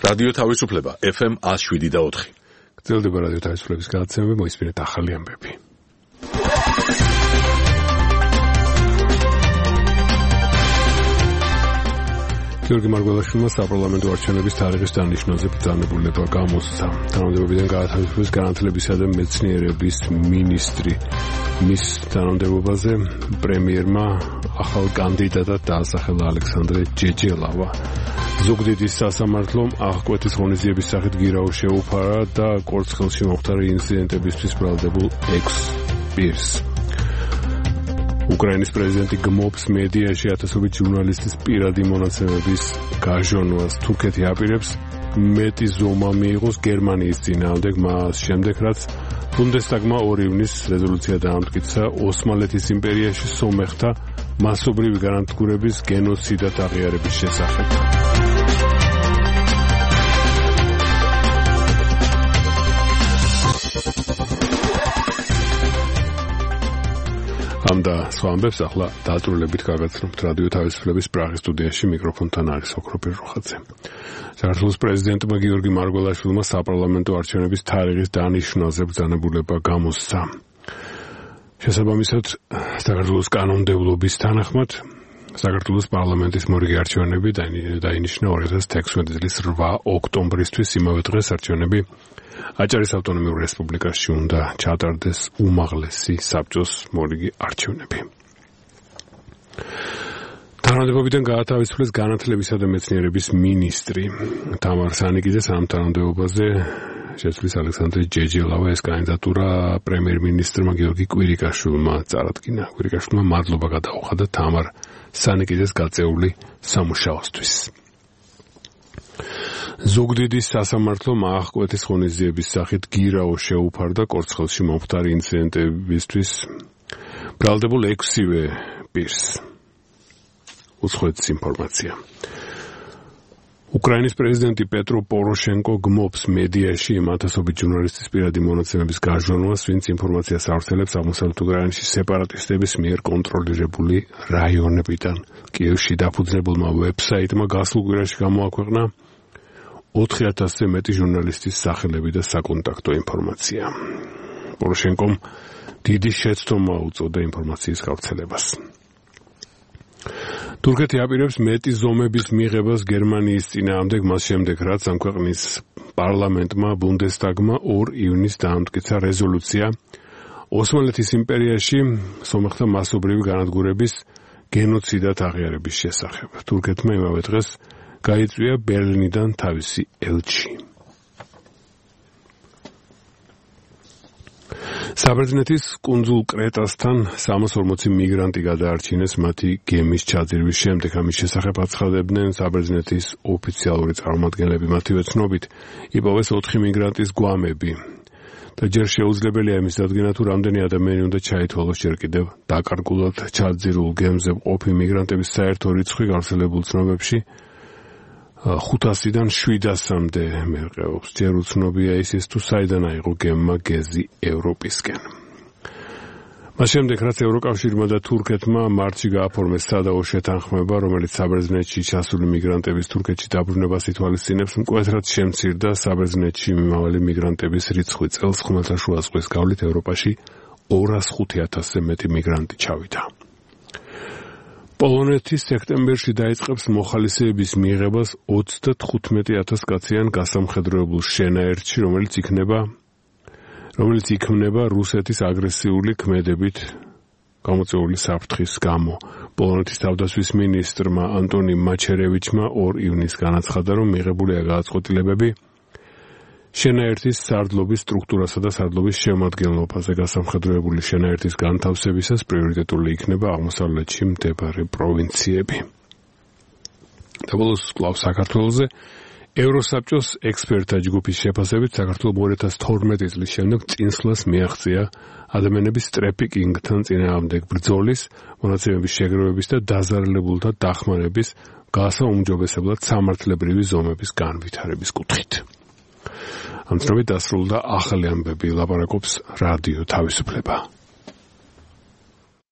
რადიო თავისუფლება FM 107.4. გრძელდება რადიო თავისუფლების გადაცემები, მოისმინეთ ახალი ამბები. გიორგი მარგველაშვილმა საპარლამენტო არჩევნების თარიღის დანიშნაზე ბრძანებულება გამოსცა. თანამდებობიდან გაათავისუფლეს განათლებისა და მეცნიერების მინისტრი. მის თანამდებობაზე პრემიერმა ახალ კანდიდატად დაასახელა ალექსანდრე ჯეჯელავა. ზუგდიდის სასამართლომ აღკვეთის ღონისძიების სახით გირაო შეუფარა და კორცხელში მომხდარი ინციდენტებისთვის ბრალდებულ 6 პირს. უკრაინის პრეზიდენტი გმობს მედიაში ათასობით ჟურნალისტის პირადი მონაცემების გაჟონვას. თურქეთი აპირებს მეტი ზომა მიიღოს გერმანიის წინააღმდეგ, მას შემდეგ რაც ბუნდესტაგმა 2 ივნისს რეზოლუცია დაამტკიცა ოსმალეთის იმპერიაში სომეხთა მასობრივი განადგურების გენოციდად აღიარების შესახებ. ამ და სხვა ამბებს ახლა დაწვრილებით გაგაცნობთ რადიო თავისუფლების პრაღის სტუდიაში. მიკროფონთან არის ოქროპირ როხაძე. საქართველოს პრეზიდენტმა გიორგი მარგველაშვილმა საპარლამენტო არჩევნების თარიღის დანიშნაზე ბრძანებულება გამოსცა. შესაბამისად, საქართველოს კანონმდებლობის თანახმად საქართველოს პარლამენტის მორიგი არჩევნები დაინიშნა 2016 წლის 8 ოქტომბრისთვის. იმავე დღეს არჩევნები აჭარის ავტონომიურ რესპუბლიკაში უნდა ჩატარდეს უმაღლესი საბჭოს მორიგი არჩევნები. თანამდებობიდან გაათავისუფლეს განათლებისა და მეცნიერების მინისტრი. თამარ სანიკიძეს ამ თანამდებობაზე შეცვლის ალექსანდრე ჯეჯელავა. ეს კანდიდატურა პრემიერ-მინისტრმა გიორგი კვირიკაშვილმა წარადგინა. კვირიკაშვილმა მადლობა გადაუხადა თამარ სანიკიძეს გაწეული სამუშაოსთვის. ზუგდიდის სასამართლომ აღკვეთის ღონისძიების სახით გირაო შეუფარდა კორცხელში მომხდარი ინციდენტებისთვის ბრალდებულ 6-ვე პირს. უცხოეთის ინფორმაცია. უკრაინის პრეზიდენტი პეტრო პოროშენკო გმობს მედიაში იმ ათასობით ჟურნალისტის პირადი მონაცემების გაჟონვას, ვინც ინფორმაციას ავრცელებს აღმოსავლეთ უკრაინაში სეპარატისტების მიერ კონტროლირებული რაიონებიდან. კიევში დაფუძნებულმა ვებსაიტმა გასულ კვირაში გამოაქვეყნა 4000-ზე მეტი ჟურნალისტის სახელები და საკონტაქტო ინფორმაცია. პოროშენკომ დიდი შეცდომა უწოდა ინფორმაციის გავრცელებას. თურქეთი აპირებს მეტი ზომების მიღებას გერმანიის წინააღმდეგ, მას შემდეგ რაც ამ ქვეყნის პარლამენტმა ბუნდესტაგმა 2 ივნისს დაამტკიცა რეზოლუცია ოსმალეთის იმპერიაში სომეხთა მასობრივი განადგურების გენოციდად აღიარების შესახებ. თურქეთმა იმავე დღეს გაიწვია ბერლინიდან თავისი ელჩი. საბერძნეთის კუნძულ კრეტასთან 340 მიგრანტი გადაარჩინეს მათი გემის ჩაძირვის შემდეგ. ამის შესახებ აცხადებდნენ საბერძნეთის ოფიციალური წარმომადგენლები. მათივე ცნობით იპოვეს 4 მიგრანტის გვამები და ჯერ შეუძლებელია იმის დადგენა, თუ რამდენი ადამიანი უნდა ჩაითვალოს ჯერ კიდევ დაკარგულად ჩაძირულ გემზე მყოფი მიგრანტების საერთო რიცხვი გავრცელებულ ცნობებში 500-დან 700-მდე მერყეობს. ჯერ უცნობია ის თუ საიდან აიღო გემმა გეზი ევროპისკენ. მას შემდეგ, რაც ევროკავშირმა და თურქეთმა მარტში გააფორმეს სადაო შეთანხმება, რომელიც საბერძნეთში ჩასული მიგრანტების თურქეთში დაბრუნებას ითვალისწინებს, მკვეთრად შემცირდა საბერძნეთში მიმავალი მიგრანტების რიცხვი. წელს ხმელთაშუა ზღვის გავლით ევროპაში 205,000-ზე მეტი მიგრანტი ჩავიდა. პოლონეთი სექტემბერში დაიწყებს მოხალისეების მიღებას 35,000 კაციან გასამხედროებულ შენაერთში, რომელიც იქმნება რუსეთის აგრესიული ქმედებით გამოწვეული საფრთხის გამო. პოლონეთის თავდაცვის მინისტრმა ანტონი მაჩერევიჩმა 2 ივნისს განაცხადა, რომ მიღებულია გადაწყვეტილებები შენაერთის სარდლობის სტრუქტურასა და სარდლობის შემადგენლობაზე. გასამხედროებული შენაერთის განთავსებისას პრიორიტეტული იქნება აღმოსავლეთში მდებარე პროვინციები. და ბოლოს კვლავ საქართველოზე ევროსაბჭოს ექსპერტთა ჯგუფის შეფასებით საქართველოს 2012 წლის შემდეგ წინსვლას მიაღწია ადამიანების ტრეფიკინგთან წინააღმდეგ ბრძოლის, მონაცემების შეგროვების და დაზარალებულთა დახმარების გასაუმჯობესებლად სამართლებრივი ზომების განვითარების კუთხით. ამ წრებით დასრულდა ახალი ამბები. ლაპარაკობს რადიო თავისუფლება.